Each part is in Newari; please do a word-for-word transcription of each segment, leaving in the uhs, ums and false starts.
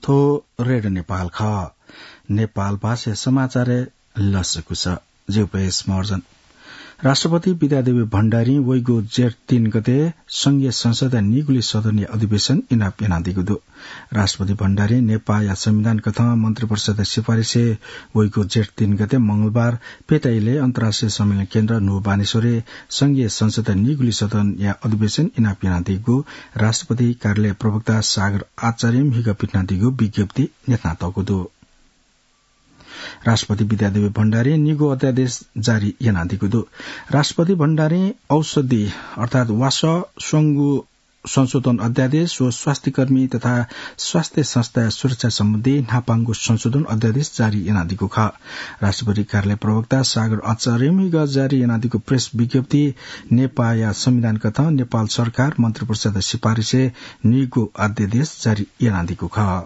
थ्व रेडियो नेपाल खः। नेपाल भाषा समाचारय् लसकुस। ज्यू पयस महर्जन। राष्ट्रपति विद्यादेवी भण्डारीं वइगु जेठ तीन गते संघीय संसदया निगुली सदनया अधिवेशन इनाप यानादीगु दु। राष्ट्रपति भण्डारीं नेपाःया संविधान कथं मन्त्रिपरिषदया सिफारिसय् वइगु जेठ तीन गते मंगलबार पेटाइलय् अन्तर्राष्ट्रिय सम्मेलन केन्द्र न्हू बानेश्वरय् संघीय संसदया निगुली सदनया अधिवेशन इनाप यानादीगु राष्ट्रपति कार्यालय प्रवक्ता सागर आचार्यं म्हिगः पिथनादीगु विज्ञप्ति न्ह्यथनातःगु दु। राष्ट्रपति विद्यादेवी भण्डारीं निगू अध्यादेश जारी यानादीगु दु। राष्ट्रपति भण्डारीं औषधि अर्थात् वासः स्वंगू संशोधन अध्यादेश व स्वास्थ्यकर्मी तथा स्वास्थ्य संस्थाया सुरक्षा सम्बन्धी न्हापांगु संशोधन अध्यादेश जारी यानादीगु खः। राष्ट्रपति कार्यालय प्रवक्ता सागर आचार्यं म्हिगः जारी यानादीगु प्रेस विज्ञप्ति नेपाःया संविधान कथं नेपाल सरकार मन्त्रिपरिषदया सिफारिसय् निगू अध्यादेश जारी यानादीगु खः।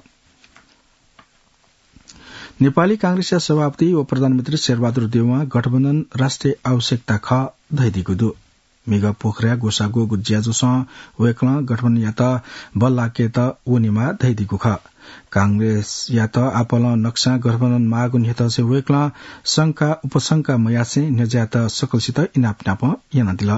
नेपाली कांग्रेसया सभापति व प्रधानमन्त्री शेरबहादुर देउवां गठबन्धन राष्ट्रिय आवश्यकता खः धयादीगु दु। म्हिगः पोखराया ग्वसाः ग्वःगु ज्याझ्वलय् वय्कलं गठबन्धनयात बल्लाकेत वनेमाः धयादीगु खः। कांग्रेसयात आपालं नक्सां गठबन्धन माःगु न्ह्यथंसे वय्कलं शंका उपशंका मयासें न्ह्यज्यायेत सकलसित इनाप नाप यानादिल।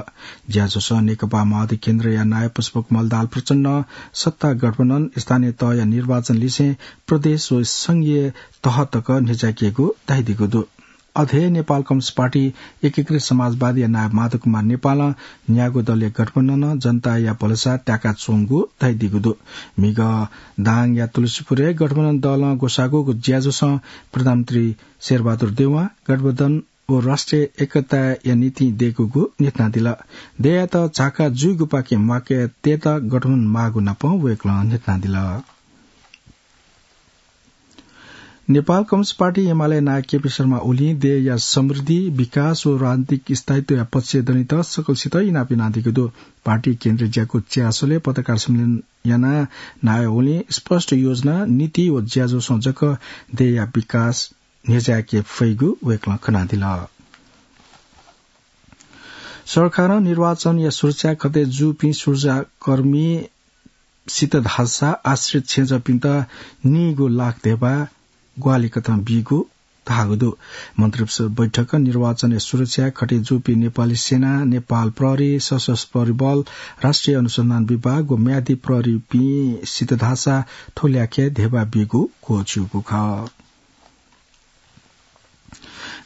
ज्याझ्वलय् नेकपा माओवादी केन्द्रया नायः पुष्पकमल दाहाल प्रचण्डं सत्ता गठबन्धन स्थानीय तहया निर्वाचन लिसें प्रदेश व संघीय तह तक न्ह्यज्याकेगु धयादीगु दु। अथे नेपाल कम्युनिस्ट पार्टी, एकीकृत समाजवादीया नायः माधव कुमार नेपालं न्यागू दलया गठबन्धनं जनताया भलसा त्याकाच्वंगु धयादीगु दु। म्हिगः दाङया तुलसीपुरय् गठबन्धन दलं ग्वसाः ग्वःगु ज्याझ्वलय् प्रधानमन्त्री शेरबहादुर देउवां गठबन्धन व राष्ट्रिय एकताया निंतिं दय्कूगु न्ह्यथनादिल। दय्यात झाका जुइगुपाखें म्वाके तयेत गठबन्धन माःगु नाप वय्कलं न्ह्यथनादिल। नेपाल कम्युनिस्ट पार्टी एमाले नायः केपी शर्मा ओलीं देय्‌या समृद्धि, विकास व राजनीतिक स्थायित्वया पक्षय् दनेत सकलसित इनाप यानादीगु दु। पार्टी केन्द्रीय ज्याकू च्यासलय् पत्रकार सम्मेलन यानाः नायः ओलीं स्पष्ट योजना, नीति व ज्याझ्वलय् जक देय्‌या विकास न्ह्यज्याके फइगु वय्कलं खनादिल। सरकारं निर्वाचनया सुरक्षा खँतय् जूपिं सुरक्षाकर्मी सित धाःसा आश्रित छेँजःपिन्त नीगू लाख धेबा ग्वाहालि कथं बीगु धाःगु दु। मन्त्रिपरिषद बैठकं निर्वाचनया सुरक्षा खँतय् जूपिं नेपाली सेना, नेपाल प्रहरी, सशस्त्र प्रहरी बल, राष्ट्रिय अनुसन्धान विभाग व म्यादी प्रहरीपिं सित धाःसा थ्व ल्याखय् धेबा बीगु क्वःछिउगु खः।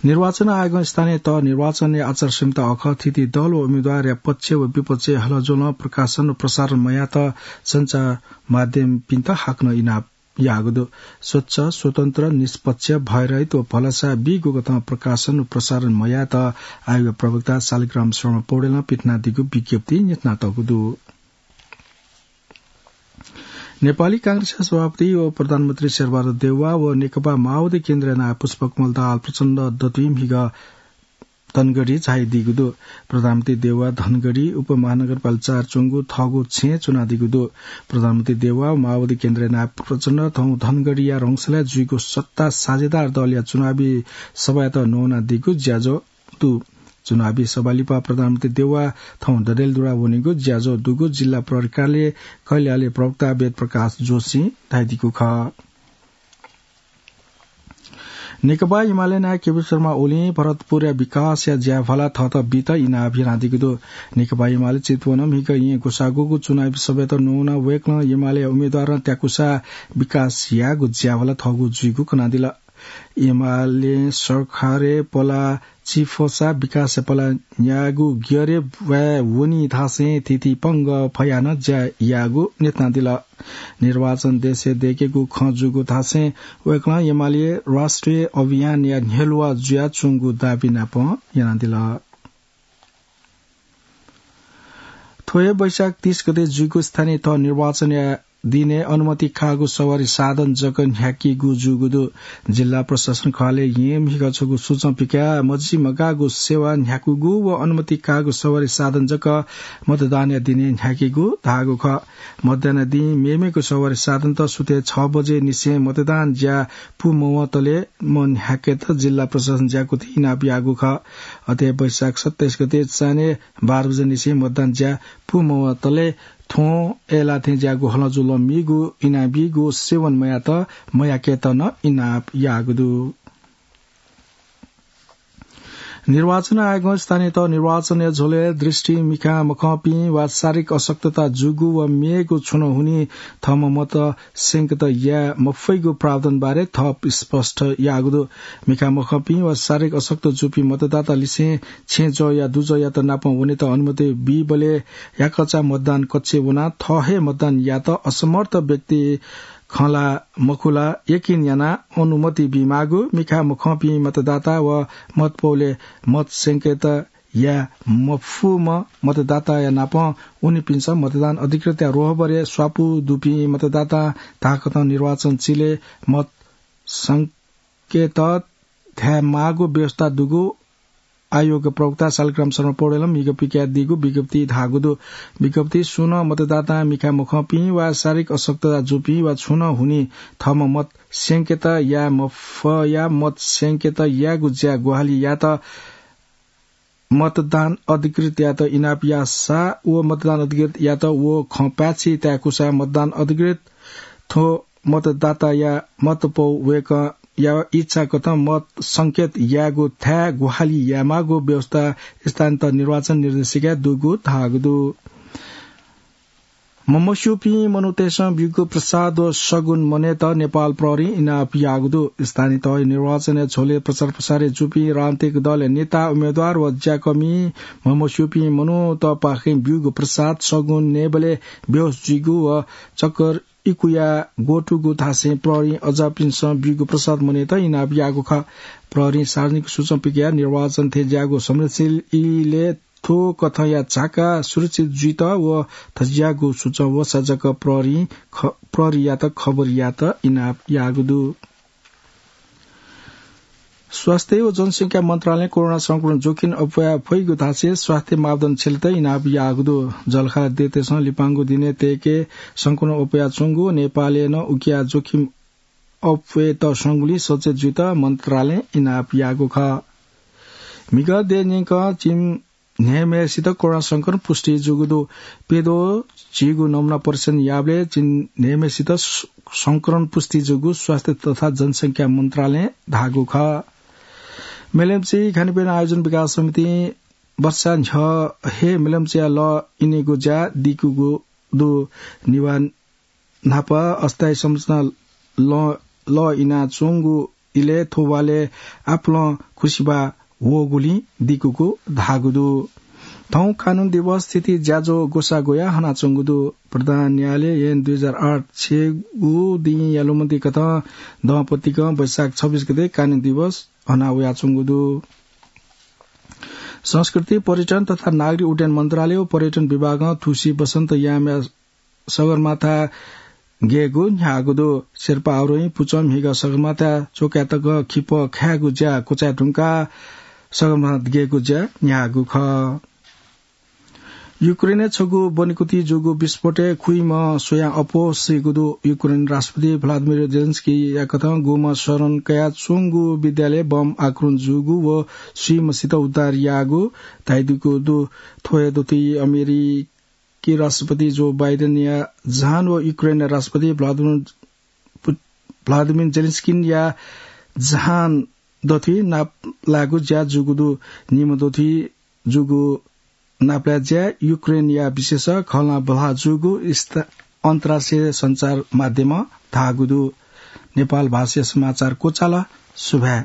निर्वाचन आयोगं स्थानीय तह निर्वाचनया आचार संहिता अखः थीथी दल व उम्मेद्वारया पक्ष व विपक्षय् हलज्वलं प्रकाशन व प्रसारण मयात सञ्चार माध्यमपिन्त हाकनं इनाप याःगु दु। स्वच्छ, स्वतन्त्र, निष्पक्ष, भयरहित व भलसा बीगु कथं प्रकाशन व प्रसारण मयात आयोग प्रवक्ता शालिग्राम शर्मा पौडेलं पिथनादीगु विज्ञप्ति न्ह्यथनातःगु दु। नेपाली कांग्रेसया सभापति व प्रधानमन्त्री शेरबहादुर देउवा व नेकपा माओवादी केन्द्रया नायः पुष्पकमल दाहाल प्रचण्ड दतुइ म्हिगः धनगढी झायादीगु दु। प्रधानमन्त्री देउवा धनगढी उपमहानगरपालिका चार च्वंगु थःगु छेँय् च्वनादीगु दु। प्रधानमन्त्री देउवा व माओवादी केन्द्रया नायः प्रचण्ड थौं धनगढीया रंगशालाय् जुइगु सत्ता साझेदार दलया चुनावी सभायात नवानादीगु ज्याझ्वः दु। चुनावी सभा लिपा प्रधानमन्त्री देउवा थौं डडेलधुरा वनीगु ज्याझ्वः दुगु जिल्ला प्रहरी कार्यालय कैलालीया प्रवक्ता वेदप्रकाश जोशीं धयादीगु खः। नेकपा एमाले नायः केपी शर्मा ओलीं भरतपुरया विकासया ज्याभाला थःत बीत इनाप यानादीगु दु। नेकपा एमाले चितवनं म्हिगः येँ ग्वसाः ग्वःगु चुनावी सभायात नवानाः वय्कलं एमालेया उम्मेद्वारं त्याकूसा विकास यायेगु ज्याभाला थःगु जुइगु कनादिल। एमालें सरकारय् पला चिफसा विकासय् पला न्यायेगु ग्यरे ब्वाँय् वनी धासें थीथी पंगः फयाः नं ज्या यायेगु न्ह्यथनादिल। निर्वाचन देशय् दय्केगु खँ जूगु धासें वय्कलं एमाले राष्ट्रिय अभियानया न्ह्यलुवा जुयाच्वंगु दाबी नाप यानादिल। थ्व हे वैशाख तीस गते जुइगु स्थानीय तह निर्वाचनया दिनय् अनुमति काःगु सवारी साधन जक न्ह्याकीगु जूगु दु। जिल्ला प्रशासन कार्यालयं म्हिगः छगू सूचना पिकाः मजिमगाःगु सेवा न्ह्याकूगु व अनुमति काःगु सवारी साधन जक मतदानया दिनय् न्ह्याकीगु धाःगु खः। मतदानया दिं मेमेगु सवारी साधनत सुथय् छ बजे निसें मतदान ज्या पूमवंतले मन्ह्याकेत जिल्ला प्रशासन ज्याकुथि इनाप याःगु खः। अथे वैशाख सत्ताइस गते चान्हय् बाह्र बजे निसें मतदान ज्या पूमवंतले थ्वं अय्‌लाः थें ज्याःगु हलं जुलं मीगु इनाप बीगु सेवन मयात मयाकेत नं इनाप याःगु दु। निर्वाचन आयोगं स्थानीय तह निर्वाचनया झ्वलय् दृष्टि मिखा मखंपिं वा शारीरिक अशक्तता जूगु व मेगु छुं नं हुनिं थःम्हं मत स्यंकेत याये मफइगु प्रावधान बारे थप स्पष्ट याःगु दु। मिखा मखंपिं वा शारीरिक अशक्त जूपिं मतदाता लिसें छेँजःया दुजःयात नापं वनेत अनुमति बीबलय् याकःचा मतदान कक्षय् वनाः थः हे मतदान यायेत असमर्थ व्यक्ति खँ ला मखु ला यकिन यानाः अनुमति बीमाःगु, मिखा मखंपिं मतदाता व मतपौलय् मत स्यंकेत याये मफुम्ह मतदाताया नापं वनीपिन्सं मतदान अधिकृतया रोहबरय् स्वापू दुपिं मतदातां धाःकथं निर्वाचन चिलय् मत स्यंकेत धायेमाःगु व्यवस्था दुगु आयोग प्रवक्ता शालिग्राम शर्मा पौडेलं विज्ञप्ति कयादीगु विज्ञप्ति धाःगु दु। विज्ञप्ति सुं नं मतदातां मिखा मखंपिं वा शारीरिक अशक्तता जूपिं वा छुं नं हुनिं थःम्हं मत स्यंकेत याये मफयाः मत स्यंकेत यायेगु ज्या ग्वाहालि यायेत मतदान अधिकृतयात इनाप याःसा व मतदान अधिकृतयात व खँ पाय्‌छि ताय्‌कूसा मतदान अधिकृत थ्व मतदाताया मतपौ वय्‌कःया इच्छा कथं मत संकेत यायेगु थाय् ग्वाहालि यायेमाःगु व्यवस्था स्थानीय तह निर्वाचन निर्देशिकाय् दुगु धाःगु दु। ममस्यूपिं मनूतय्‌सं ब्यूगु प्रसाद व सगुन मनय्‌त नेपाल प्रहरीं इनाप याःगु दु। स्थानीय तह निर्वाचनया झ्वलय् प्रचार प्रसारय् जूपिं राजनीतिक दलया नेता, उम्मेदवार व ज्याकःमिं ममस्यूपिं मनूतपाखें ब्यूगु प्रसाद सगुन नयेबलय् बेहोस जुइगु व चक्कर इकुया ग्वतुगु धासें प्रहरीं अज्याःपिन्सं ब्यूगु प्रसाद मनय्‌त इनाप याःगु खः। प्रहरीं सार्वजनिक सूचं पिकयाः निर्वाचन थें ज्याःगु संवेदनशील इलय् थ्व कथंया झाका सुरक्षित जुइत व थज्याःगु सूचं वःसा जक प्रहरीं ख-, प्रहरीयात खबर यायेत इनाप याःगु दु। स्वास्थ्य व जनसंख्या मन्त्रालयं कोरोना संक्रमण जोखिम अप्वया फइगु धासें स्वास्थ्य मापदण्ड छ्यलेत इनाप याःगु दु। जःलाखःला देय्‌तय्‌सं लिपांगु दिनय् तय्‌के संक्रमण अप्वयाच्वंगु नेपालय् नं उकिया जोखिम अप्वयेत संगुलिं सचेत जुइत मन्त्रालयं इनाप याःगु खः। म्हिगः देय् न्यंकं झिंन्हय्‌म्हय्‌सित कोरोना संक्रमण पुष्टि जूगु दु। प्यद्वः झिगू नमुना परीक्षण याःबलय् झिंन्हय्‌म्हय्‌सित स-, संक्रमण पुष्टि जूगु स्वास्थ्य तथा जनसंख्या मन्त्रालयं धाःगु खः। मेलम्ची खानीपिना आयोजन विकास समितिं वर्षा न्ह्यः हे मेलम्चीया लः इनेगु ज्या दिकूगु दु। निभाः न्हापा अस्थायी संरचना लः, लः इनाच्वंगु इलय् थ्व वालय् आपालं खुसिबा वःगुलिं दिकूगु धाःगु दु। थौं कानून दिवस स्थिति ज्याझ्वः ग्वसाः ग्वयाः हनाच्वंगु दु। प्रधान न्यायालय ऐन दुई हजार आठ छेँगू दिं यालुमति कथं दंपतिकं वैशाख छब्बीस गते कानून दिवस हना वयाच्वंगु दु। संस्कृति, पर्यटन तथा नागरिक उड्डयन मन्त्रालय व पर्यटन विभागं थुसी वसन्त यामया सगरमाथा गयेगु न्ह्याःगु दु। शेर्पा आरोही पुचः म्हिगः सगरमाथा च्वकायेतक खिपः खायेगु ज्या क्वचाये धुंकाः सगरमाथा गयेगु ज्या न्ह्याःगु खः। युक्रेनय् छगू बनेकुति जूगु विस्फोटय् खुइम्ह स्वयां अप्वः सीगु दु। युक्रेन राष्ट्रपति भ्लादिमिर जेलेन्स्कीया कथं गुम्हं शरण कयाच्वंगु विद्यालयय् बम आक्रमण जूगु व स्वीम्हसित उद्धार याःगु धाइदीगु दु। थ्व हे दथुइ अमेरिकी राष्ट्रपति जो बाइडेनया जहान व युक्रेनया राष्ट्रपति भ्लादिमिर पु-, भ्लादिमिर जेलेन्स्कीया जहान दथुइ नापलायेगु ज्या जूगु दु। निम्ह दथुइ जूगु नापलाये ज्याय् युक्रेनया विशेष खँल्हां बल्हा जूगु स्था-, अन्तर्राष्ट्रिय सञ्चार माध्यमं धाःगु दु। नेपाल भाषाया समाचार क्वचाल। सुभाय्।